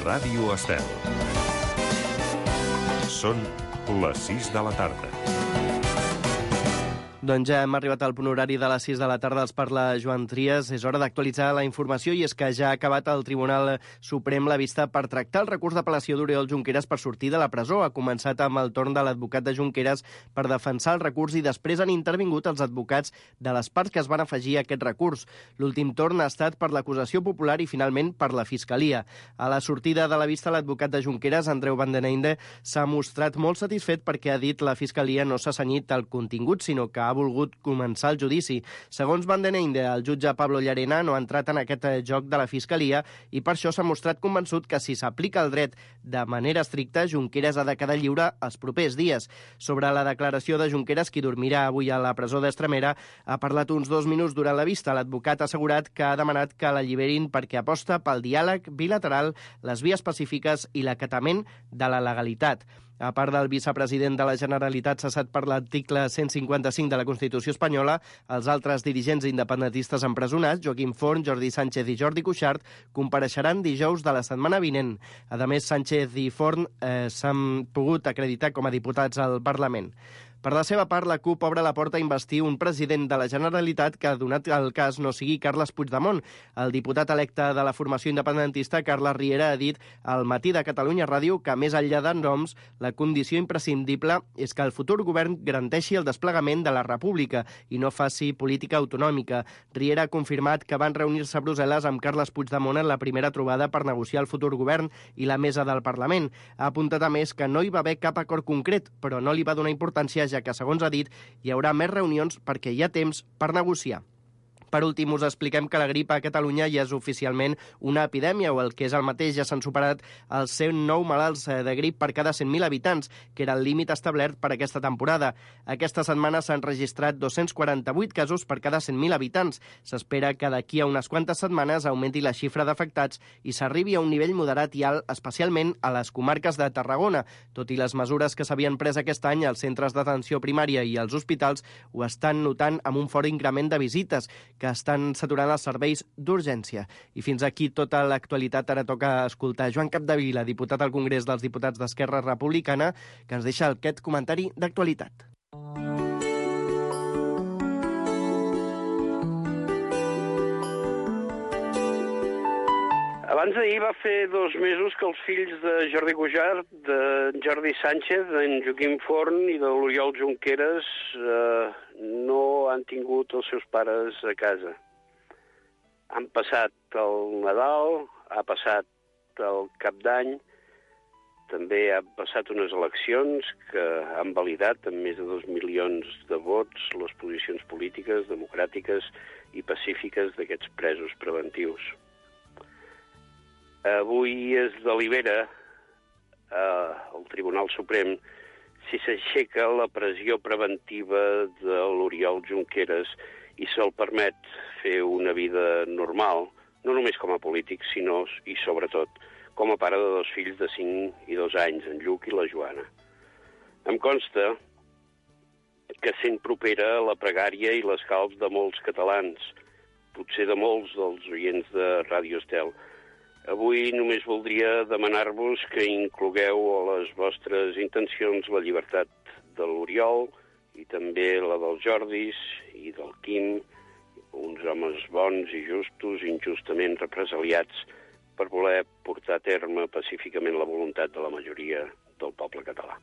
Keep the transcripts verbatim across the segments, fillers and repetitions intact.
Ràdio Estel. Són les sis de la tarda. Doncs ja hem arribat al punt horari de les sis de la tarda. Els parla Joan Trias. És hora d'actualitzar la informació i és que ja ha acabat el Tribunal Suprem la vista per tractar el recurs d'apel·lació d'Oriol Junqueras per sortir de la presó. Ha començat amb el torn de l'advocat de Junqueras per defensar el recurs i després han intervingut els advocats de les parts que es van afegir a aquest recurs. L'últim torn ha estat per l'acusació popular i finalment per la Fiscalia. A la sortida de la vista, l'advocat de Junqueras, Andreu Van den Einde, s'ha mostrat molt satisfet perquè ha dit la Fiscalia no s'ha cenyit al contingut, sinó que ha ha volgut començar el judici. Segons Van den Einde, el jutge Pablo Llarena no ha entrat en aquest joc de la Fiscalia i per això s'ha mostrat convençut que si s'aplica el dret de manera estricta, Junqueras ha de quedar lliure els propers dies. Sobre la declaració de Junqueras, qui dormirà avui a la presó d'Estremera, ha parlat uns dos minuts durant la vista. L'advocat ha assegurat que ha demanat que l'alliberin perquè aposta pel diàleg bilateral, les vies pacífiques i l'acatament de la legalitat. A part del vicepresident de la Generalitat cessat per l'article cent cinquanta-cinc de la Constitució espanyola, els altres dirigents independentistes empresonats, Joaquim Forn, Jordi Sánchez i Jordi Cuixart, compareixeran dijous de la setmana vinent. A més, Sánchez i Forn eh, s'han pogut acreditar com a diputats al Parlament. Per la seva part, la CUP obre la porta a investir un president de la Generalitat que, donat el cas, no sigui Carles Puigdemont. El diputat electe de la formació independentista, Carles Riera, ha dit al Matí de Catalunya Ràdio que, més enllà de noms, la condició imprescindible és que el futur govern garanteixi el desplegament de la República i no faci política autonòmica. Riera ha confirmat que van reunir-se a Brussel·les amb Carles Puigdemont en la primera trobada per negociar el futur govern i la mesa del Parlament. Ha apuntat a més que no hi va haver cap acord concret, però no li va donar importància ja que, segons ha dit, hi haurà més reunions perquè hi ha temps per negociar. Per últim, us expliquem que la grip a Catalunya ja és oficialment una epidèmia, o el que és el mateix, ja s'han superat els cent nou malalts de grip per cada cent mil habitants, que era el límit establert per aquesta temporada. Aquesta setmana s'han registrat dos-cents quaranta-vuit casos per cada cent mil habitants. S'espera que d'aquí a unes quantes setmanes augmenti la xifra d'afectats i s'arribi a un nivell moderat i alt, especialment a les comarques de Tarragona. Tot i les mesures que s'havien pres aquest any, els centres d'atenció primària i els hospitals ho estan notant amb un fort increment de visites, que estan saturant els serveis d'urgència. I fins aquí tota l'actualitat. Ara toca escoltar Joan Capdevila, diputat al Congrés dels Diputats d'Esquerra Republicana, que ens deixa aquest comentari d'actualitat. Abans d'ahir va fer dos mesos que els fills de Jordi Cuixart, de Jordi Sánchez, d'en Joaquim Forn i de l'Oriol Junqueras eh, no han tingut els seus pares a casa. Han passat el Nadal, ha passat el Cap d'Any, també han passat unes eleccions que han validat amb més de dos milions de vots les posicions polítiques, democràtiques i pacífiques d'aquests presos preventius. Avui es delibera eh, al Tribunal Suprem si s'aixeca la pressió preventiva de l'Oriol Junqueras i se'l permet fer una vida normal, no només com a polític, sinó i sobretot com a pare de dos fills de cinc i dos anys, en Lluc i la Joana. Em consta que sent propera la pregària i l'escalf de molts catalans, potser de molts dels oients de Ràdio Estel. Avui només voldria demanar-vos que inclogueu a les vostres intencions la llibertat de l'Oriol i també la dels Jordis i del Quim, uns homes bons i justos, injustament represaliats per voler portar a terme pacíficament la voluntat de la majoria del poble català.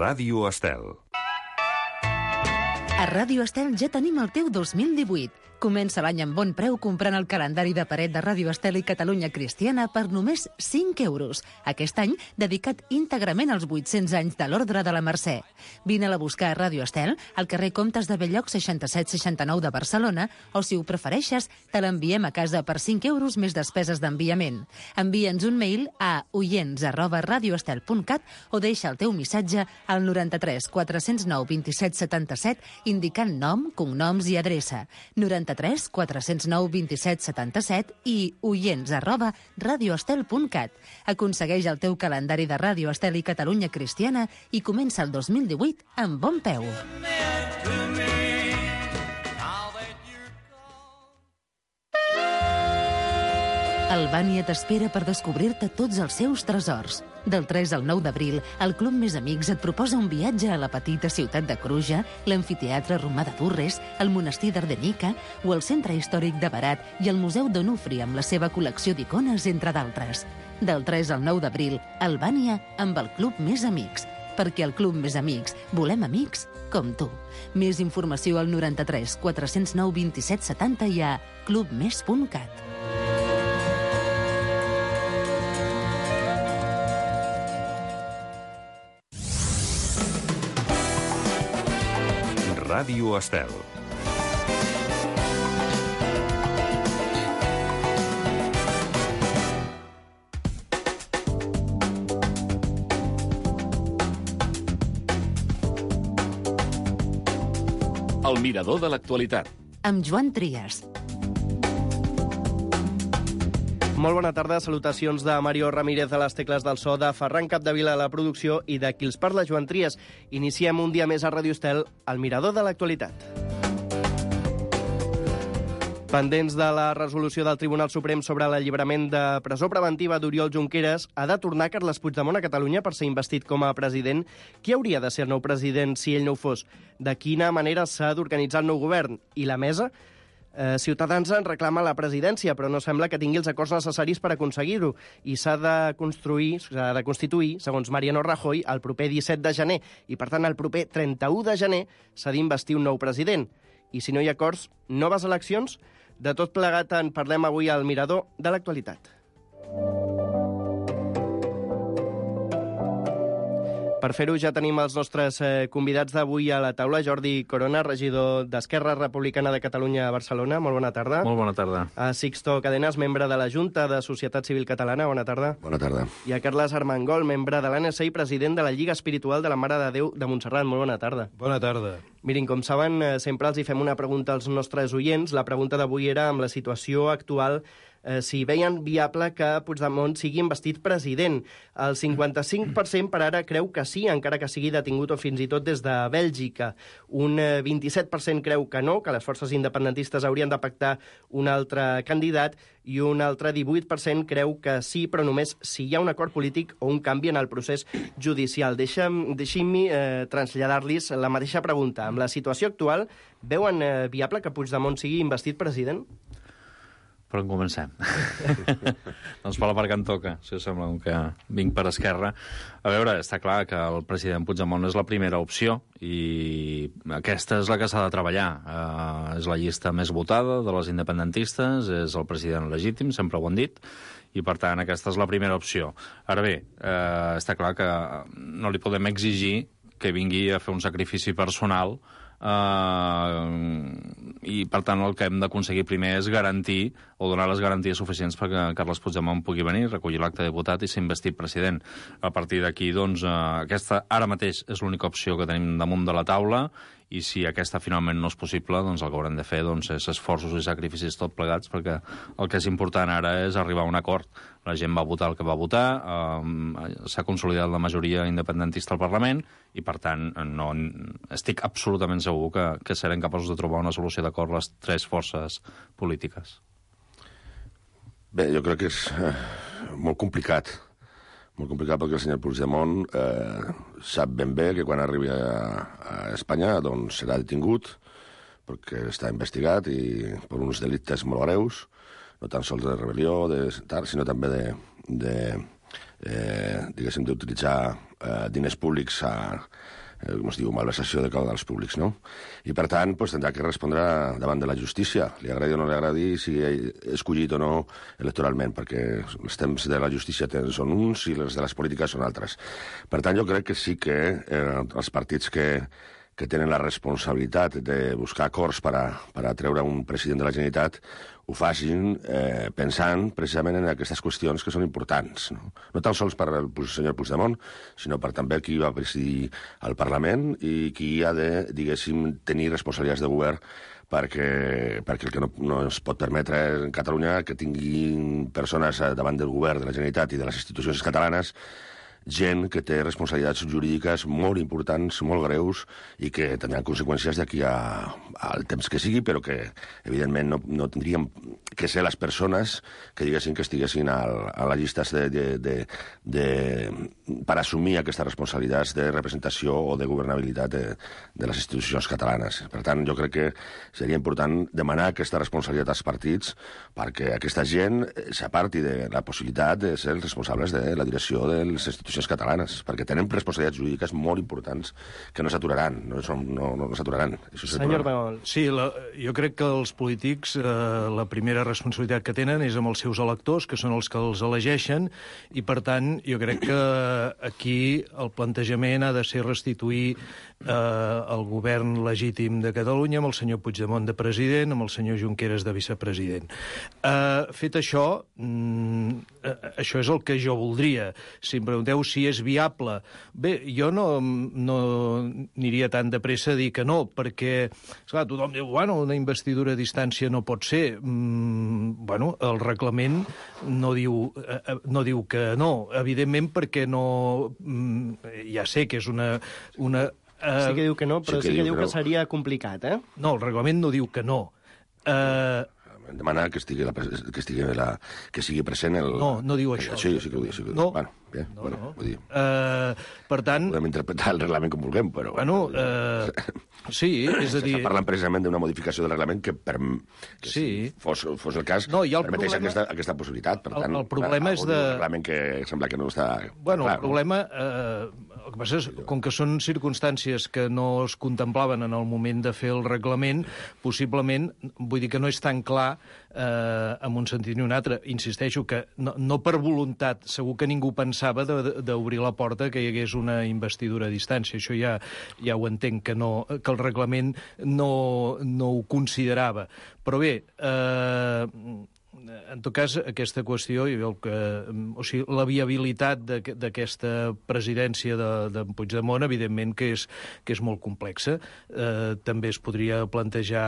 Ràdio Estel. A Ràdio Estel ja tenim el teu dos mil divuit. Comença l'any amb bon preu comprant el calendari de paret de Ràdio Estel i Catalunya Cristiana per només cinc euros. Aquest any dedicat íntegrament als vuit-cents anys de l'Ordre de la Mercè. Vine-la a buscar a Ràdio Estel, al carrer Comtes de Belllloc seixanta-set seixanta-nou de Barcelona, o si ho prefereixes, te l'enviem a casa per cinc euros més despeses d'enviament. Envia'ns un mail a oients arroba radioestel punt cat o deixa el teu missatge al noranta-tres quatre-cents nou vint-i-set setanta-set indicant nom, cognoms i adreça. noranta-tres quatre-cents nou vint-i-set setanta-set i oients arroba radioestel punt cat. Aconsegueix el teu calendari de Ràdio Estel i Catalunya Cristiana i comença el dos mil divuit amb bon peu. Albània t'espera per descobrir-te tots els seus tresors. Del tres al nou d'abril, el Club Més Amics et proposa un viatge a la petita ciutat de Cruja, l'amfiteatre romà de Durres, el monestir d'Ardenica o el centre històric de Berat i el Museu d'Onufri amb la seva col·lecció d'icones, entre d'altres. Del tres al nou d'abril, Albània amb el Club Més Amics. Perquè al Club Més Amics volem amics com tu. Més informació al noranta-tres quatre-cents nou vint-i-set setanta i a clubmes punt cat. Ràdio Estel. El mirador de l'actualitat. Amb Joan Trias. Molt bona tarda, salutacions de Mario Ramírez a les tecles del so, de Ferran Capdevila a la producció i de qui els parla, Joan Trias. Iniciem un dia més a Ràdio Estel, el mirador de l'actualitat. Pendents de la resolució del Tribunal Suprem sobre l'alliberament de presó preventiva d'Oriol Junqueras, ha de tornar Carles Puigdemont a Catalunya per ser investit com a president. Qui hauria de ser el nou president si ell no ho fos? De quina manera s'ha d'organitzar el nou govern? I la mesa? Eh, Ciutadans en reclama la presidència, però no sembla que tingui els acords necessaris per aconseguir-ho. I s'ha de construir, s'ha de constituir, segons Mariano Rajoy, el proper disset de gener. I, per tant, el proper trenta-u de gener s'ha d'investir un nou president. I si no hi ha acords, noves eleccions? De tot plegat en parlem avui al Mirador de l'actualitat. Per fer-ho ja tenim els nostres eh, convidats d'avui a la taula. Jordi Corona, regidor d'Esquerra Republicana de Catalunya a Barcelona. Molt bona tarda. Molt bona tarda. A Sixto Cadenas, membre de la Junta de Societat Civil Catalana. Bona tarda. Bona tarda. I a Carles Armengol, membre de l'A N S i president de la Lliga Espiritual de la Mare de Déu de Montserrat. Molt bona tarda. Bona tarda. Mirin, com saben, sempre els hi fem una pregunta als nostres oients. La pregunta d'avui era amb la situació actual, eh, si veien viable que Puigdemont sigui investit president. El cinquanta-cinc per cent per ara creu que sí, encara que sigui detingut o fins i tot des de Bèlgica. Un eh, vint-i-set per cent creu que no, que les forces independentistes haurien de pactar un altre candidat, i un altre divuit per cent creu que sí, però només si hi ha un acord polític o un canvi en el procés judicial. Deixa'm, deixin-me eh, traslladar-los la mateixa pregunta. Amb la situació actual, veuen eh, viable que Puigdemont sigui investit president? Per on comencem? Doncs per la part que em toca, si us sembla, que vinc per Esquerra. A veure, està clar que el president Puigdemont és la primera opció i aquesta és la que s'ha de treballar. Uh, és la llista més votada de les independentistes, és el president legítim, sempre ho han dit, i per tant aquesta és la primera opció. Ara bé, uh, està clar que no li podem exigir que vingui a fer un sacrifici personal Uh, i per tant el que hem d'aconseguir primer és garantir o donar les garanties suficients perquè Carles Puigdemont pugui venir, recollir l'acte de diputat i ser investit president. A partir d'aquí, doncs, uh, aquesta ara mateix és l'única opció que tenim damunt de la taula, i si aquesta finalment no és possible, doncs el que haurem de fer doncs, és esforços i sacrificis tot plegats, perquè el que és important ara és arribar a un acord. La gent va votar el que va votar, eh, s'ha consolidat la majoria independentista al Parlament, i per tant no, estic absolutament segur que, que serem capaços de trobar una solució d'acord les tres forces polítiques. Bé, jo crec que és eh, molt complicat. Molt complicat perquè el senyor Puigdemont eh, sap ben bé que quan arribi a, a Espanya doncs serà detingut perquè està investigat i per uns delictes molt greus, no tan sols de rebel·lió, de, sinó també de, de eh, diguéssim, d'utilitzar eh, diners públics a, eh, com es diu, malversació de caudals públics, no? I, per tant, doncs, tindrà que respondre davant de la justícia, li agradi o no li agradi, si és escollit o no electoralment, perquè els temps de la justícia són uns i els de les polítiques són altres. Per tant, jo crec que sí que eh, els partits que, que tenen la responsabilitat de buscar acords per a, per a treure un president de la Generalitat ho facin eh, pensant precisament en aquestes qüestions que són importants. No, no tan sols per al senyor Puigdemont, sinó per també qui va presidir el Parlament i qui ha de, diguéssim, tenir responsabilitats de govern perquè, perquè el que no, no es pot permetre en Catalunya que tinguin persones davant del govern de la Generalitat i de les institucions catalanes gent que té responsabilitats jurídiques molt importants, molt greus, i que tindran conseqüències d'aquí a, al temps que sigui, però que, evidentment, no, no tindríem que ser les persones que diguessin que estiguessin al, a la llista de, de, de, de, per assumir aquestes responsabilitats de representació o de governabilitat de, de les institucions catalanes. Per tant, jo crec que seria important demanar aquesta responsabilitat als partits perquè aquesta gent s'aparti de la possibilitat de ser els responsables de la direcció de les institucions catalanes, perquè tenen responsabilitats jurídiques molt importants que no s'aturaran, no, no, no, no s'aturaran. Senyor Bagol. Sí, la, jo crec que els polítics eh, la primera responsabilitat que tenen és amb els seus electors, que són els que els elegeixen, i per tant jo crec que aquí el plantejament ha de ser restituir eh, el govern legítim de Catalunya amb el senyor Puigdemont de president, amb el senyor Junqueras de vicepresident. Eh, fet això, mm, eh, això és el que jo voldria. Si em pregunteu si és viable, bé, jo no, no aniria tan de pressa a dir que no, perquè, esclar, tothom diu, bueno, una investidura a distància no pot ser. Mm, bueno, el reglament no diu, eh, no diu que no, evidentment perquè no... Mm, ja sé que és una... una eh, sí que diu que no, però sí que, sí que diu que, que seria complicat, eh? No, el reglament no diu que no. Eh... Demanar que estigui, la, que, estigui la, que sigui present el... No, no diu això. Sí, sí que ho diu. Sí que ho diu. No. Bueno, bé, no, bueno, no. Vull dir. Uh, per tant... Podem interpretar el reglament com vulguem, però... Bueno, uh, sí, és a dir... S'està parlant precisament d'una modificació del reglament que, per, que sí. si fos, fos el cas, no, el permeteix problema... aquesta, aquesta possibilitat. Per el, tant, el problema és de... Un reglament que sembla que no està... Bueno, clar, el problema... Eh, el que passa és, com que són circumstàncies que no es contemplaven en el moment de fer el reglament, possiblement, vull dir que no és tan clar eh, en un sentit ni un altre. Insisteixo que no, no per voluntat, segur que ningú pensava d'obrir la porta que hi hagués una investidura a distància. Això ja, ja ho entenc, que, no, que el reglament no, no ho considerava. Però bé... Eh, en tot cas, aquesta qüestió, i el que, o sigui, la viabilitat d'aquesta presidència de, de Puigdemont, evidentment que és, que és molt complexa. Eh, també es podria plantejar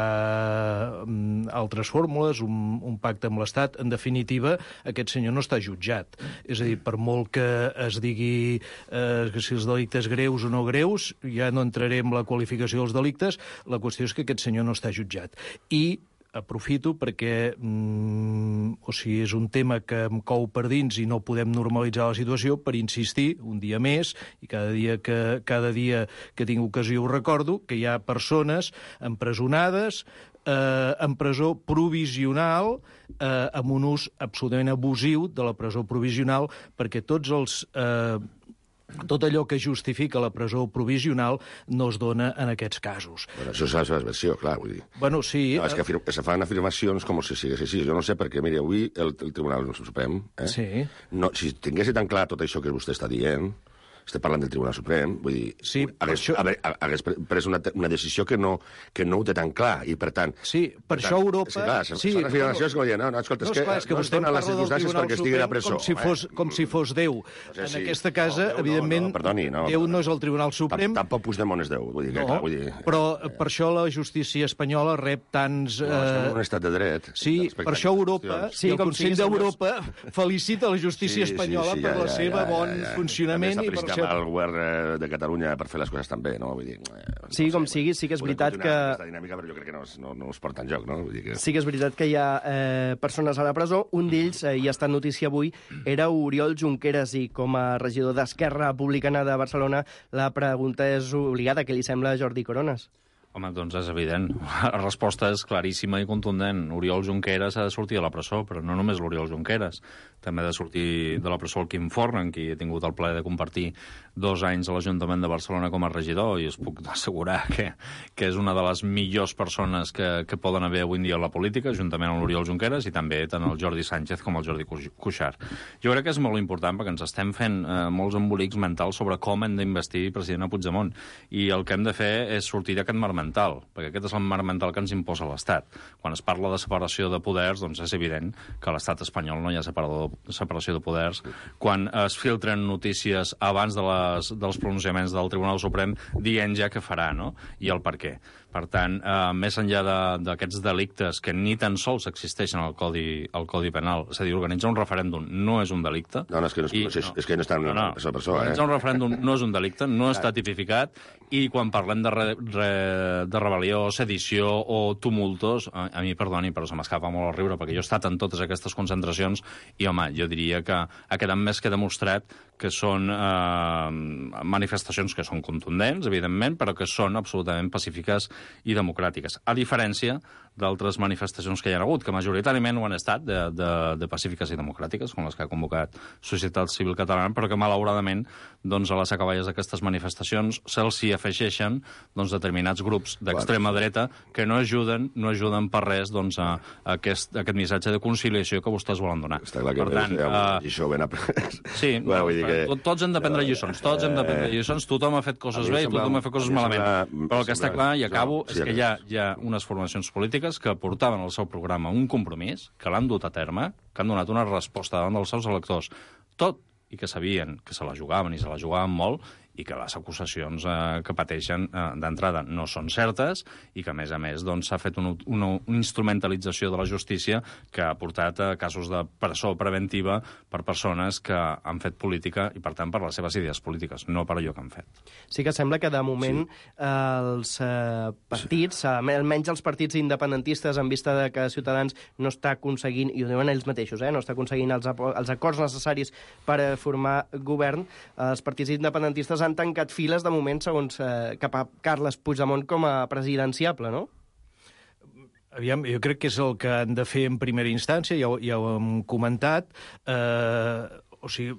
um, altres fórmules, un, un pacte amb l'Estat. En definitiva, aquest senyor no està jutjat. És a dir, per molt que es digui eh, que si els delictes greus o no greus, ja no entraré en la qualificació dels delictes, la qüestió és que aquest senyor no està jutjat. I aprofito perquè mm, o sigui, és un tema que em cou per dins i no podem normalitzar la situació per insistir un dia més, i cada dia que, cada dia que tinc ocasió ho recordo, que hi ha persones empresonades eh, en presó provisional eh, amb un ús absolutament abusiu de la presó provisional, perquè tots els... Eh, tot allò que justifica la presó provisional no es dona en aquests casos. Bueno, això és la seva versió, clar, vull dir. Bueno, sí... No, és que afir se fan afirmacions com si sigués així. Jo no sé perquè, mire, avui el, el Tribunal Suprem... Eh, sí. No, si tingués tan clar tot això que vostè està dient... Estem parlant del Tribunal Suprem, vull dir, sí, hagués, això... hagués pres una, una decisió que no, que no ho té tan clar, i per tant... Sí, per, per això tant, Europa... Sí, clar, sí, són afirmacions bueno, que no, no, escolta, no, és que, clar, és que no vostè dona les circumstàncies perquè estigui a presó. Com si fos, com si fos Déu. No sé, en sí. aquesta casa, no, Déu, evidentment, no, no, perdoni, no, Déu no és el Tribunal Suprem... Tampoc Puigdemont és Déu, vull dir, que, no, clar, vull dir... Però per això la justícia espanyola rep tants... No, estem en un estat de dret. Sí, per això Europa, sí, el Consell d'Europa felicita la justícia espanyola per la seva bon funcionament i per això... el govern de Catalunya per fer les coses tan bé, no? Vull dir, eh, sí, no com sé, sigui, sí que és veritat que... Aquesta dinàmica, però jo crec que no, no, no es porta enlloc, no? Vull dir que... Sí que és veritat que hi ha eh, persones a la presó. Un d'ells, eh, i ha estat notícia avui, era Oriol Junqueras, i com a regidor d'Esquerra Republicana de Barcelona, la pregunta és obligada. Què li sembla a Jordi Coronas? Home, doncs és evident. La resposta és claríssima i contundent. Oriol Junqueras ha de sortir de la presó, però no només l'Oriol Junqueras. També ha de sortir de la presó el Quim Forn, amb qui he tingut el plaer de compartir dos anys a l'Ajuntament de Barcelona com a regidor, i us puc assegurar que, que és una de les millors persones que, que poden haver avui en dia a la política, juntament amb l'Oriol Junqueras, i també tant el Jordi Sánchez com el Jordi Cuixart. Jo crec que és molt important perquè ens estem fent eh, molts embolics mentals sobre com hem d'investir president a Puigdemont, i el que hem de fer és sortir d'aquest marc mental, perquè aquest és el marc mental que ens imposa l'Estat. Quan es parla de separació de poders, doncs és evident que a l'Estat espanyol no hi ha separador, separació de poders. Quan es filtren notícies abans de les, dels pronunciaments del Tribunal Suprem dient ja què farà, no? I el per què. Per tant, eh, més enllà d'aquests de, delictes que ni tan sols existeixen al Codi, al Codi Penal, és a dir, organitzar un referèndum no és un delicte. No, no, és que no, I, és, no. és que no està en no, no. la persona. Organitzar eh? un referèndum no és un delicte, no està tipificat, i quan parlem de, re, re, de rebel·lió, sedició o tumultos, a, a mi, perdoni, però se m'escapa molt el riure, perquè jo he estat en totes aquestes concentracions i, home, jo diria que ha quedat més que demostrat que són eh, manifestacions que són contundents, evidentment, però que són absolutament pacífiques i democràtiques. A diferència d'altres manifestacions que hi ha hagut, que majoritàriament ho han estat, de, de, de pacífiques i democràtiques, com les que ha convocat Societat Civil Catalana, però que, malauradament, doncs, a les acaballes d'aquestes manifestacions se'ls hi afegeixen doncs, determinats grups d'extrema dreta que no ajuden, no ajuden per res doncs, a, a, aquest, a aquest missatge de conciliació que vostès volen donar. Està clar que per tant, uh, això ben après. Sí, bueno, vull dir que... tots hem de prendre lliçons, tots hem de prendre lliçons, tothom ha fet coses bé i tothom ha fet coses malament. Però el que està clar, i acabo, és que hi ha, hi ha unes formacions polítiques que portaven al seu programa un compromís, que l'han dut a terme, que han donat una resposta davant dels seus electors, tot i que sabien que se la jugaven i se la jugaven molt, i que les acusacions eh, que pateixen eh, d'entrada no són certes i que, a més a més, doncs, s'ha fet una, una, una instrumentalització de la justícia que ha portat a casos de presó preventiva per persones que han fet política i, per tant, per les seves idees polítiques, no per allò que han fet. Sí que sembla que, de moment, sí. els eh, partits, sí. almenys els partits independentistes, en vista de que Ciutadans no està aconseguint, i ho diuen ells mateixos, eh, no està aconseguint els, els acords necessaris per a formar govern, els partits independentistes han tancat files, de moment, segons eh, cap a Carles Puigdemont com a presidenciable, no? Aviam, jo crec que és el que han de fer en primera instància, ja, ja ho hem comentat, eh, o sigui,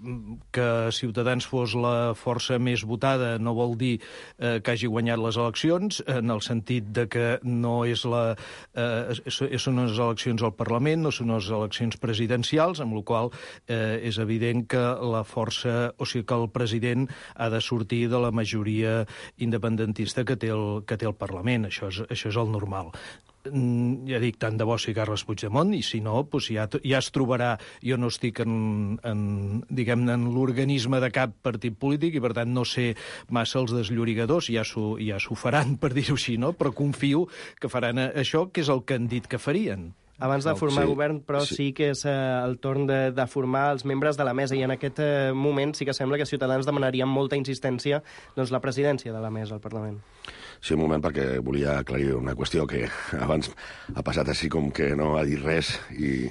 que Ciutadans fos la força més votada no vol dir eh, que hagi guanyat les eleccions, en el sentit de que no és la, eh, són unes eleccions al Parlament, no són unes eleccions presidencials, amb la qual eh, és evident que la força, o sigui, que el president ha de sortir de la majoria independentista que té el, que té el Parlament. Això és, això és el normal. Ja dic, tant de bo si Carles Puigdemont, i si no, doncs ja, ja es trobarà. Jo no estic en, en, diguem-ne, en l'organisme de cap partit polític i, per tant, no sé massa els desllorigadors, ja s'ho ja s'ho faran, per dir-ho així, no? Però confio que faran això, que és el que han dit que farien. Abans de formar sí, govern, però sí, sí que és eh, el torn de, de formar els membres de la mesa, i en aquest eh, moment sí que sembla que Ciutadans demanaria amb molta insistència doncs, la presidència de la mesa al Parlament. Sí, un moment, perquè volia aclarir una qüestió que abans ha passat així com que no ha dit res, i,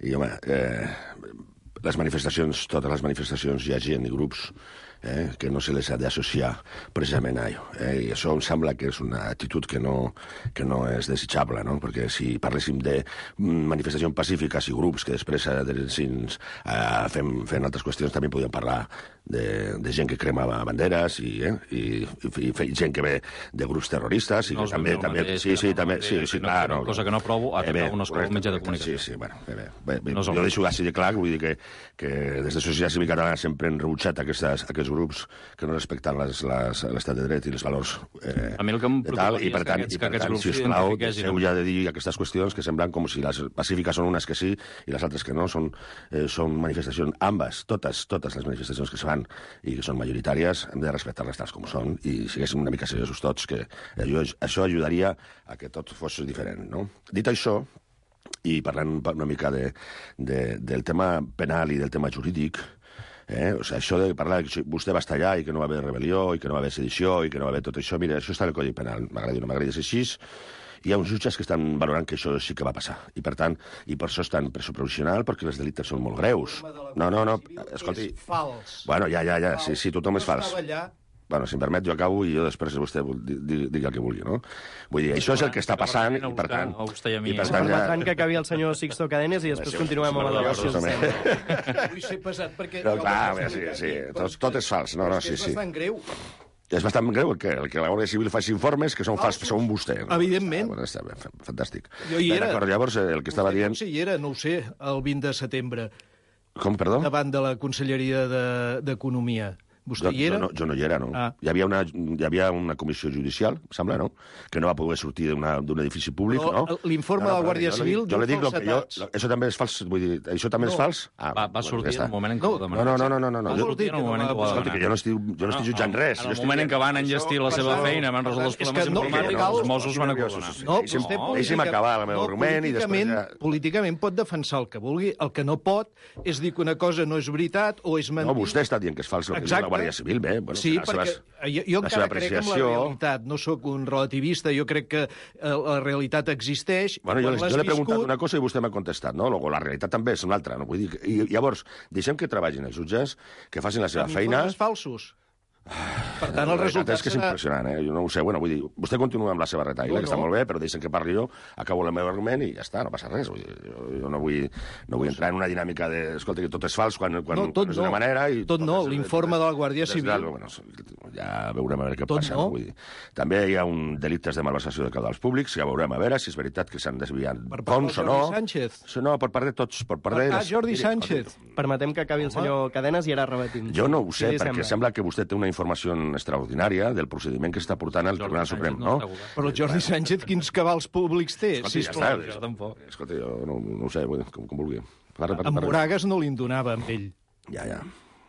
i home, eh, les manifestacions, totes les manifestacions, hi ha gent i grups eh, que no se les ha d'associar precisament a allò. Eh? I això em sembla que és una actitud que no, que no és desitjable, no? Perquè si parléssim de manifestacions pacífiques i grups que després adheressin a fem, fent altres qüestions, també podríem parlar de, de gent que cremava banderes i, eh? I, i, i gent que ve de grups terroristes i no que també... també mateix, sí, sí, no també, sí, sí, no, clar, no, no, cosa que no provo a atacar un mitjà de comunicació. Sí, sí, bueno, bé, bé, bé, bé, no jo deixo així de clar, vull dir que, que des de Societat Civil Catalana sempre hem rebutjat aquestes, aquests grups que no respecten l'estat de dret i els valors eh, a mi el que em de tal, i per tant, és i per que tant si us plau, deixeu ja de dir aquestes qüestions que semblen com si les pacífiques són unes que sí i les altres que no, són, eh, són manifestacions, ambes, totes, totes les manifestacions que es fan i que són majoritàries, hem de respectar-les tals com són, i siguéssim una mica seriosos tots, que això, això ajudaria a que tot fos diferent, no? Dit això, i parlant una mica de, de, del tema penal i del tema jurídic, eh? O sigui, això de parlar que vostè va estar allà i que no va haver rebel·lió i que no va haver sedició i que no va haver tot això, mira, això està en el Codi Penal, m'agrada o no m'agrada ser així, hi ha uns jutges que estan valorant que això sí que va passar. I, per tant, i per això estan presó provisional, perquè les delictes són molt greus. No, no, no, escolti... És fals. Bueno, ja, ja, ja, sí, sí, tothom és fals. Bueno, si em permet, jo acabo i jo després vostè digui el que vulgui, no? Vull dir, això és el que està passant i, per tant... I per tant, ja... que acabi el senyor Sixto Cadenes i després continuem amb la delegació. Vull ser pesat perquè... Clar, sí, sí, tot és fals. No, no, sí, sí. És bastant greu. És bastant greu que, que la Guàrdia Civil faci informes que són fals, són vostè. Evidentment. Ah, bueno, està bé, fantàstic. Jo hi era. D'acord, llavors, el que estava dient... Sí, hi era, no ho sé, el vint de setembre. Com, perdó? Davant de la Conselleria d'Economia. Vostè jo, hi era? Jo no, jo no hi era, no. Ah. Hi, havia una, hi havia una comissió judicial, em sembla, no?, que no va poder sortir d'un edifici públic, Però no? L'informe no, no, de la Guàrdia jo Civil jo diu li dic lo que jo, falsetats. Això també és fals, vull dir, això també No. és fals? Ah, Va, va sortir en el moment en què ho No, demanava. no, no, no, no, no. Com Jo, vol dir en el moment en què ho va escolta, que jo no estic, jo no estic jutjant res. En Jo el estic moment en dient, què van això enllestir la seva passa- feina, van resoldre els És que problemes no- informàtics, no, els Mossos van acordar. No, Deixi'm, vostè deixi'm acabar la meva no, argument i després políticament, ja... políticament pot defensar el que vulgui. El que no pot és dir que una cosa no és veritat o és mentida. No, vostè està dient que és fals el que diu la Guàrdia Civil, bé. Bueno, Sí, les perquè seves- jo, jo la encara seva crec en la apreciació. realitat. No sóc un relativista, jo crec que eh, la realitat existeix. Bueno, jo, Quan l'has jo l'he preguntat viscut- una cosa i vostè m'ha contestat, no? Luego, la realitat també és una altra, no? Vull dir, que- i llavors, deixem que treballin els jutges, que facin la seva amb feina... informes falsos. Per tant, el La veritat resultat és que és serà... impressionant, eh? Jo no ho sé. Bueno, vull dir, vostè continua amb la seva retaïla, No, que està no. molt bé, però deixen que parli jo, acabo el meu argument i ja està, no passa res. Vull dir, jo, jo no vull, no vull entrar en una dinàmica de, escolta, que tot és fals quan, quan, No, tot quan és d'una no. manera... I Tot no, és- l'informe de la Guàrdia és- Civil. Bueno, ja veurem a veure què Tot passa. no. Vull dir. També hi ha un delictes de malversació de caudals públics, ja veurem a veure si és veritat que s'han desviat Per part fons del o no. Jordi Sánchez. Sí, no, per part de tots. Per part de Ah, les- Jordi Miri, Sánchez. escolti, Permetem que acabi el senyor Cadenes i ara rebatim. jo no ho sé, Què li perquè sembla que vostè té una informació extraordinària del procediment que està portant al Jordi Tribunal Sánchez Suprem, no no? està governant. Però el Jordi Sánchez, quins cabals públics té? Escolti, ja Sisplau. està. jo tampoc. Escolta, jo no, no ho sé, vull dir, com, com vulgui. Parla, parla, En parla. Moragas no li en donava, amb ell. Ja, ja.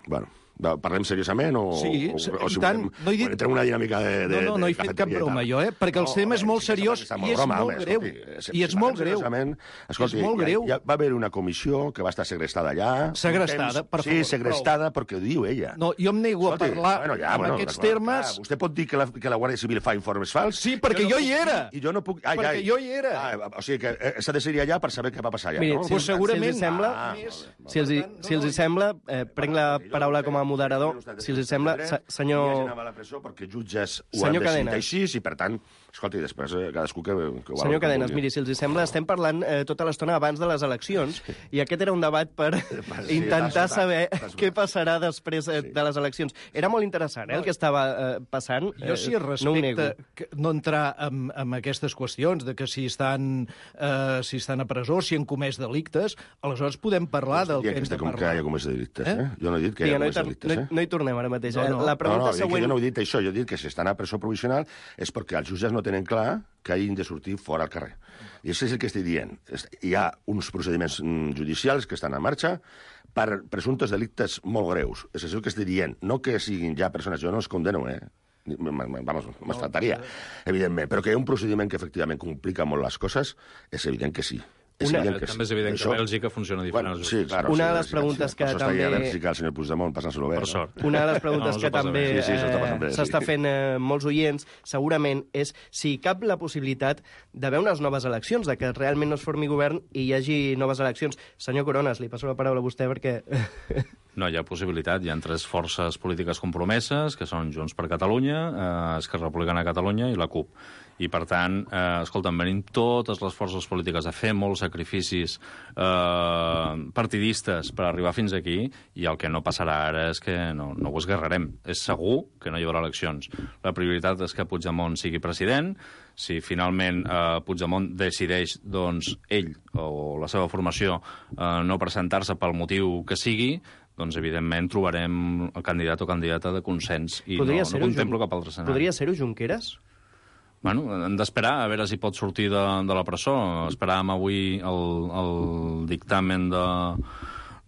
Bueno, va, parlem seriosament o, Sí, o, o, i si tant. volem, No he dit- volem entrar en una dinàmica de, de, No, no, no he de fet cap cafeteria i broma tal. jo, eh? Perquè el tema és molt sí que seriós està i és broma, molt home, greu. escolti, si- I és si molt parlem greu. seriosament, Escolti, És molt ja- greu. Ja, va haver una comissió que va estar segrestada allà. Segrestada, Un temps- per Sí, favor, segrestada perquè ho diu ella. No, jo em nego a parlar bueno, ja, amb bueno, aquests clar, termes. clar, vostè pot dir que la, que la Guàrdia Civil fa informes fals? Sí, perquè no jo puc hi dir- era. I jo no puc... Ai, Perquè ai. jo hi era. Ah, o sigui que eh, s'ha de ser allà per saber què va passar allà, Miri, no? si, Pues si segurament- els hi sembla, Ah, Més. si els, hi, Per tant, si els hi no, sembla, eh, prenc la paraula com a moderador, si els hi sembla, se- senyor... Hi hagi a la presó perquè jutges ho Senyor han decidit Cadenes. així i, per tant, escolti, després eh, cadascú que, que ho Senyor com Cadenes, vulgui. miri, si els hi sembla, estem parlant eh, tota l'estona abans de les eleccions i aquest era un debat per Sí, intentar t'has saber notat, t'has què notat. passarà després eh, de les eleccions. Era molt interessant, eh, el que estava eh, passant. Jo sí eh, no ho nego. respecte que no entrar en, en aquestes qüestions de que si estan, eh, si estan a presó, si han comès delictes, aleshores podem parlar del Dient que hem que, de com que hi parlar. ha comès delictes, eh? Eh? Jo no he dit que Sí, hi ha no, hi comès tor- delictes, no, eh? hi- no hi tornem ara mateix. No, eh? no. La No, pregunta no, jo, següent... jo no he dit això, jo he dit que si estan a presó provisional és perquè els jutges no tenen clar que hagin de sortir fora al carrer. I això és el que estic dient. És- Hi ha uns procediments mm, judicials que estan en marxa per presumptes delictes molt greus. És això que estic dient. No que siguin ja persones... Jo no els condeno, eh? Ni- m- m- Vamos, me'n faltaria, evidentment. Però que hi ha un procediment que efectivament complica molt les coses, és evident que sí. És Una- evident que També és evident que Això- a Bèlgica funciona diferent. Bueno, als sí, jutges. claro. Una sí, de les sí, preguntes sí, que per això està ahí a també- Bèlgica, el senyor Puigdemont, passant-se-lo bé. Per no? sort. Una de les preguntes No, no que s'ho passen també bé. Sí, sí, s'ho està passant bé, eh, sí. s'està fent eh, molts oients, segurament, és si hi cap la possibilitat d'haver unes noves eleccions, de que realment no es formi govern i hi hagi noves eleccions. Senyor Coronas, li passo la paraula a vostè perquè... No, hi ha possibilitat. Hi ha tres forces polítiques compromeses, que són Junts per Catalunya, eh, Esquerra Republicana de Catalunya i la CUP. I, per tant, eh, escolta'm, venim totes les forces polítiques a fer molts sacrificis eh, partidistes per arribar fins aquí, i el que no passarà ara és que no, no ho esguerrarem. És segur que no hi haurà eleccions. La prioritat és que Puigdemont sigui president. Si finalment eh, Puigdemont decideix, doncs, ell o la seva formació eh, no presentar-se pel motiu que sigui, doncs, evidentment, trobarem el candidat o candidata de consens i Podria no, no ser-ho, contemplo Jun- cap altre escenari. Podria ser-ho Junqueras? Bueno, hem d'esperar a veure si pot sortir de, de la presó. Esperàvem avui el, el dictamen de,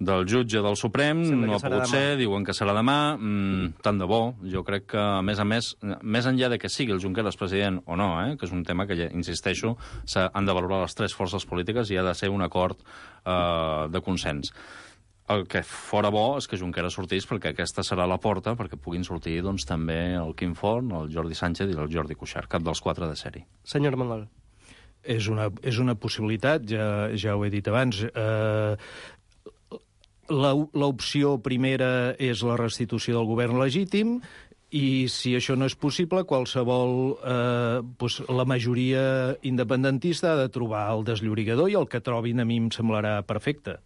del jutge del Suprem, Sembla que no ha serà pogut demà. ser, diuen que serà demà. Mm, tant de bo. Jo crec que, a més a més, més enllà de que sigui el Junqueras president o no, eh, que és un tema que, ja, insisteixo, s'han de valorar les tres forces polítiques i ha de ser un acord eh, de consens. El que fora bo és que Junqueras sortís, perquè aquesta serà la porta perquè puguin sortir doncs, també el Quim Forn, el Jordi Sánchez i el Jordi Cuixart, cap dels quatre de sèrie. Senyor Manol. És una, és una possibilitat, ja, ja ho he dit abans. Eh, la- L'opció primera és la restitució del govern legítim, i si això no és possible, qualsevol, eh, doncs la majoria independentista ha de trobar el desllorigador, i el que trobin a mi em semblarà perfecte.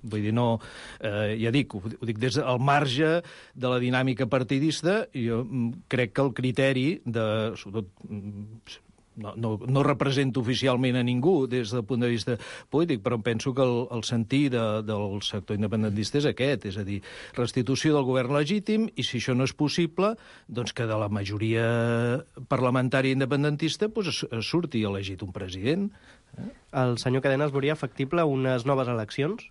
Vull dir, no... Eh, ja dic, ho, ho dic des del marge de la dinàmica partidista, jo mm, crec que el criteri de, sobretot, mm, no, no, no represento oficialment a ningú des del punt de vista polític, però penso que el, el sentir de, del sector independentista és aquest, és a dir, restitució del govern legítim, i si això no és possible, doncs que de la majoria parlamentària independentista pues, surti elegit un president. Eh? El senyor Cadenas veuria factible unes noves eleccions?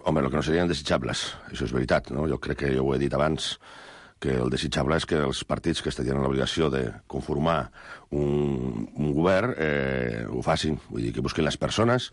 Home, el que no serien desitjables, això és veritat, no? Jo crec que jo ho he dit abans, que el desitjable és que els partits que estarien en l'obligació de conformar un, un govern eh, ho facin, vull dir, que busquen les persones,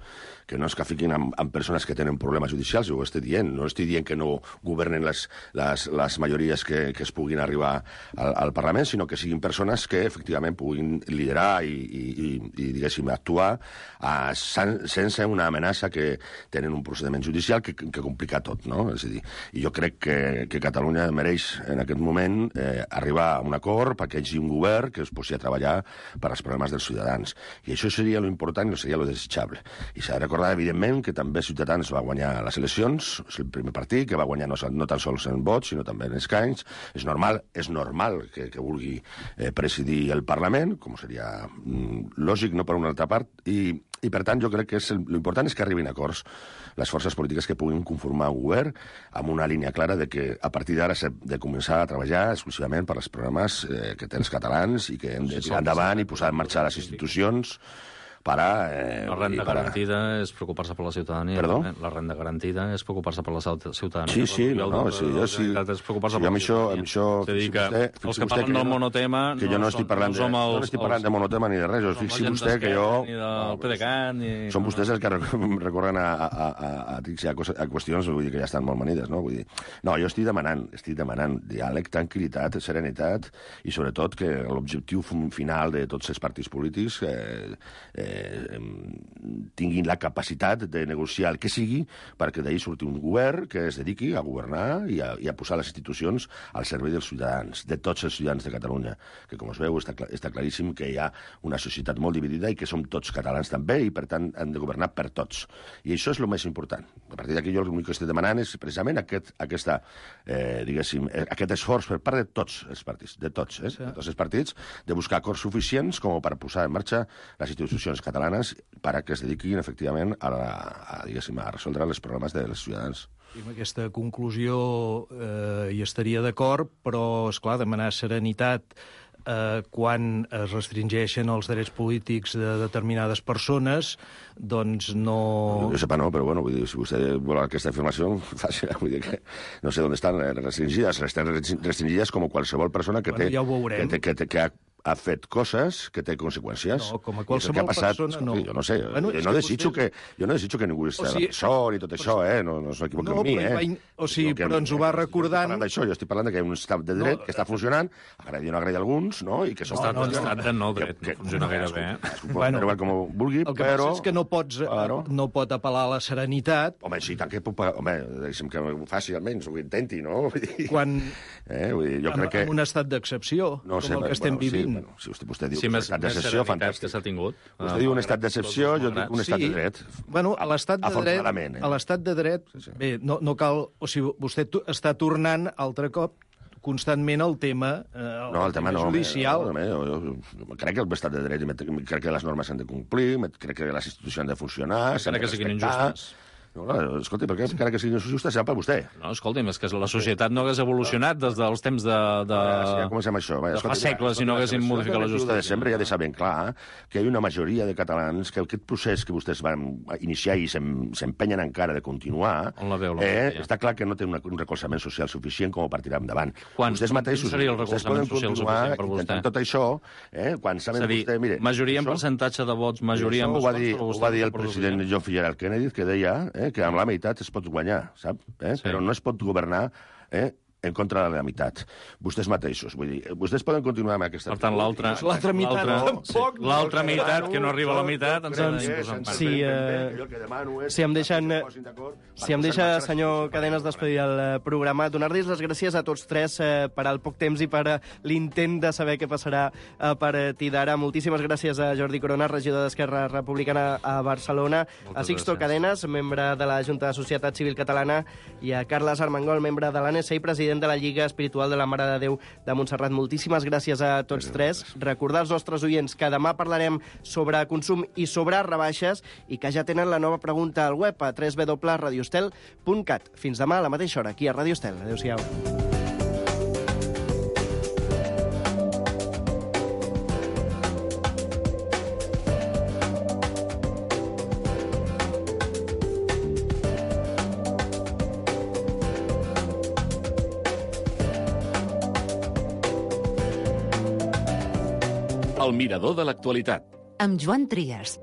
que no es que fiquin amb, amb persones que tenen problemes judicials, ho estic dient, no estic dient que no governen les, les, les majories que, que es puguin arribar al, al Parlament, sinó que siguin persones que efectivament puguin liderar i, i, i, i diguéssim, actuar a, sense una amenaça que tenen un procediment judicial que, que complica tot, no? És a dir, i jo crec que, que Catalunya mereix en aquest moment eh, arribar a un acord perquè hi hagi un govern que es posi a treballar per als problemes dels ciutadans. I això seria lo important i seria lo desitjable. I s'ha de recordar, evidentment, que també Ciutadans va guanyar les eleccions, és el primer partit que va guanyar no, no tan sols en vots, sinó també en escanys. És normal, és normal que, que vulgui eh, presidir el Parlament, com seria mm, lògic, no per una altra part, i, i per tant jo crec que l'important és que arribin acords les forces polítiques que puguin conformar un govern amb una línia clara de que a partir d'ara s'ha de començar a treballar exclusivament per als programes eh, que tenen els catalans i que hem de tirar endavant i posar en marxa les institucions para... Eh, la renda para... garantida és preocupar-se per la ciutadania. Perdó? La renda garantida és preocupar-se per la ciutadania. Sí, sí, no, no, sí, jo sí. És preocupar-se sí, per amb la això, amb això, és a dir, que vostè, els que parlen del monotema... Que jo no estic parlant de, no estic parlant de monotema ni de res, jo fixi vostè que jo... Ni del P D C A T, ni... Són vostès els que recorren a, a, a, a, a, a qüestions vull dir, que ja estan molt manides, no? Vull dir, no, jo estic demanant, estic demanant diàleg, tranquil·litat, serenitat i sobretot que l'objectiu final de tots els partits polítics eh, eh, tinguin la capacitat de negociar el que sigui perquè d'ahir surti un govern que es dediqui a governar i a, i a posar les institucions al servei dels ciutadans, de tots els ciutadans de Catalunya, que com es veu està, està claríssim que hi ha una societat molt dividida i que som tots catalans també i per tant han de governar per tots. I això és el més important. A partir d'aquí jo l'únic que estic demanant és precisament aquest, aquesta, eh, diguéssim, aquest esforç per part de tots els partits, de tots, eh, sí. de tots els partits, de buscar acords suficients com per posar en marxa les institucions catalanes perquè es dediquin efectivament a, la, a, diguéssim, a resoldre els problemes dels ciutadans. I amb aquesta conclusió eh, hi estaria d'acord, però, esclar, demanar serenitat eh, quan es restringeixen els drets polítics de determinades persones, doncs no... Jo sepa no, però bueno, vull dir, si vostè vol aquesta afirmació, fàcil, vull dir que no sé on estan restringides, estan restringides com qualsevol persona que bueno, té... ja ho veurem. Que, té, que, té, que ha ha fet coses que té conseqüències. No, com a qualsevol passat, persona, no. Jo no sé, bueno, jo, no desitjo vostè... que, jo no desitjo que ningú estigui o sigui, a la presó ni tot això, eh? No, no s'equivoqui no, amb mi, eh? In... O sigui, però ens ho va recordant... Jo estic parlant d'això, jo estic parlant que hi ha un estat de dret no, que està funcionant, agradi o no agradi a alguns, no? I que no, no, no, estat de no dret, que, no funciona gaire bé. Bueno, com vulgui, el que però... passa és que no pots, claro. no pot apel·lar a la serenitat. Home, sí, tant que puc... Home, deixa'm que ho faci almenys, ho intenti, no? Quan... Eh? Vull dir, jo crec que... En un estat d'excepció, no sé, com el que estem bueno, vivint. Sí, bueno, si vostè, vostè diu sí, que més, és un estat d'excepció, fantàstic. Que s'ha tingut. Vostè diu un estat d'excepció, jo dic un estat sí. de dret. Bueno, a l'estat de dret, eh? a l'estat de dret, sí, sí. bé, no, no cal... O sigui, vostè està tornant altre cop constantment el tema, eh, el no, el tema, tema no, judicial. No, jo, jo, jo crec que l'estat de dret, crec que les normes s'han de complir, crec que les institucions han de funcionar, s'han de que siguin injustes. No, no, escolti, perquè encara que sigui injusta, serà per vostè. No, escolti'm, és que la societat no hagués evolucionat des dels temps de... de... Ja, ja comencem això. Va, de escolti, fa segles si no haguessin modificat la justícia. De desembre ja deixa ben clar que hi ha una majoria de catalans que aquest procés que vostès van iniciar i s'empenyen encara de continuar, on la veu, la eh, està clar que no té un recolzament social suficient com per tirar endavant. Quan, vostès mateixos, seria el recolzament social suficient per vostè? Tot això, eh, quan saben dir, vostè... Mire, majoria en percentatge de vots, majoria en vots... Ho va dir, ho ho va dir el president John Fitzgerald Kennedy, que deia eh, que amb la meitat es pot guanyar, sap? Eh? Sí. Però no es pot governar eh, en contra de la meitat. Vostès mateixos, vull dir, vostès poden continuar amb aquesta... Per tant, l'altra l'altra meitat tampoc. Sí. L'altra meitat, que no arriba a la meitat, ens doncs, si, eh, si em deixen... Si em deixa, senyor Cadenas, despedir el programa, donar-los les gràcies a tots tres eh, per al poc temps i per l'intent de saber què passarà a partir d'ara. Moltíssimes gràcies a Jordi Corona, regidor d'Esquerra Republicana a Barcelona, moltes a Sixto gràcies. Cadenas, membre de la Junta de Societat Civil Catalana, i a Carles Armengol, membre de l'A N S i president president de la Lliga Espiritual de la Mare de Déu de Montserrat. Moltíssimes gràcies a tots tres. Recordar als nostres oients que demà parlarem sobre consum i sobre rebaixes i que ja tenen la nova pregunta al web a w w w punt radio estel punt cat. Fins demà a la mateixa hora, aquí a Ràdio Estel. Adéu-siau. El mirador de l'actualitat. Amb Joan Trias.